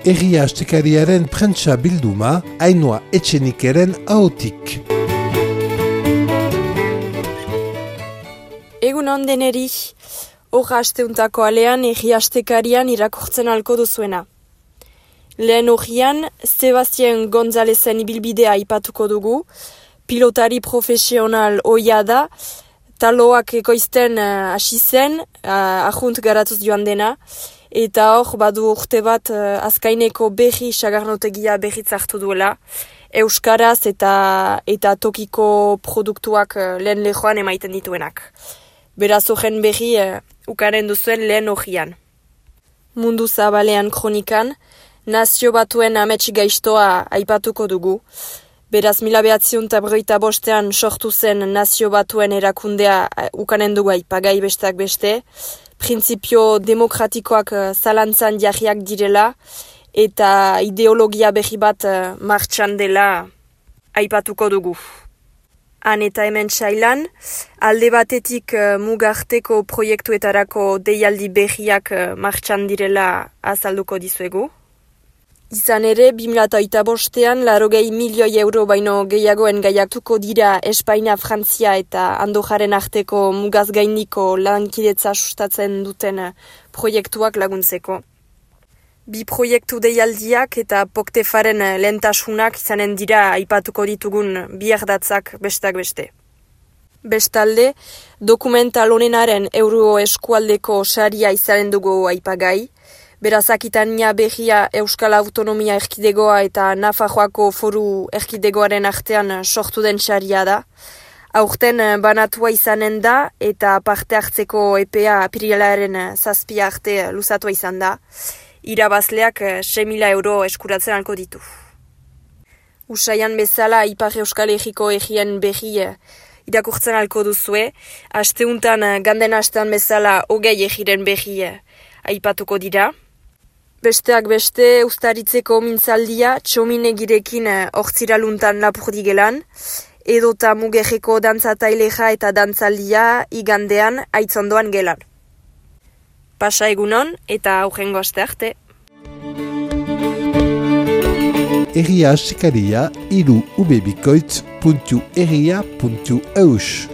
Herria Astekariaren prentsa bilduma, Ainhoa Etxenikeren ahotik. Egun on deneri, horra asteuntako alean Herria Astekarian irakurtzen alko duzuena. Lehen horrian, Sebastien Gonzalezen ibilbidea aipatuko dugu, pilotari profesional ohia da, taloak ekoizten hasi zen, ahunt garatuz joan dena, eta hor badu urte bat azkaineko berri sagarnotegia berritz hartu duela, euskaraz eta tokiko produktuak lehen lehoan emaiten dituenak. Beraz horren berri ukaren duzuen lehen horrian. Mundu zabalean kronikan, Nazio Batuen amets gaiztoa aipatuko dugu. Beraz, 1955 sortu zen Nazio Batuen erakundea ukanen dugu aipagai besteak beste, printzipio demokratikoak zalantzan jarriak direla, eta ideologia berri bat martxan dela aipatuko dugu. Han eta hemen sailan, alde batetik mugarteko proiektuetarako deialdi berriak martxan direla azalduko dizuegu. Izan ere, 2025 €80 milioi baino gehiagoen gaiatuko dira Espainia, Frantzia eta Andorraren arteko mugaz gaindiko lankidetza sustatzen duten proiektuak laguntzeko. Bi proiektu deialdiak eta Poktefaren lehentasunak izanen dira aipatuko ditugun bi ardatzak besteak beste. Bestalde, dokumental honenaren Euro eskualdeko saria izanen dugu aipagai, beraz Akitania berria Euskal Autonomia Erkidegoa eta Nafarroako Foru Erkidegoaren artean sortu den saria da. Aurten banatua izanen da eta parte hartzeko epea apirilaren 7 arte luzatua izan da. Irabazleak €6.000 eskuratzen alko ditu. Usaian bezala Ipar Euskal Herriko herrien berri irakurtzen alko duzue, asteuntan ganden astean bezala 20 herriren berri aipatuko dira. Besteak beste, ustaritzeko mintzaldia txominegirekin hortziraluntan Lapurdigelan, edota mugerreko dantzataileja eta dantzaldia igandean aitzondoan gelan. Pasa egunon eta aurrengo aste arte. Herria Astekaria 3ubebikoitz.herria.eus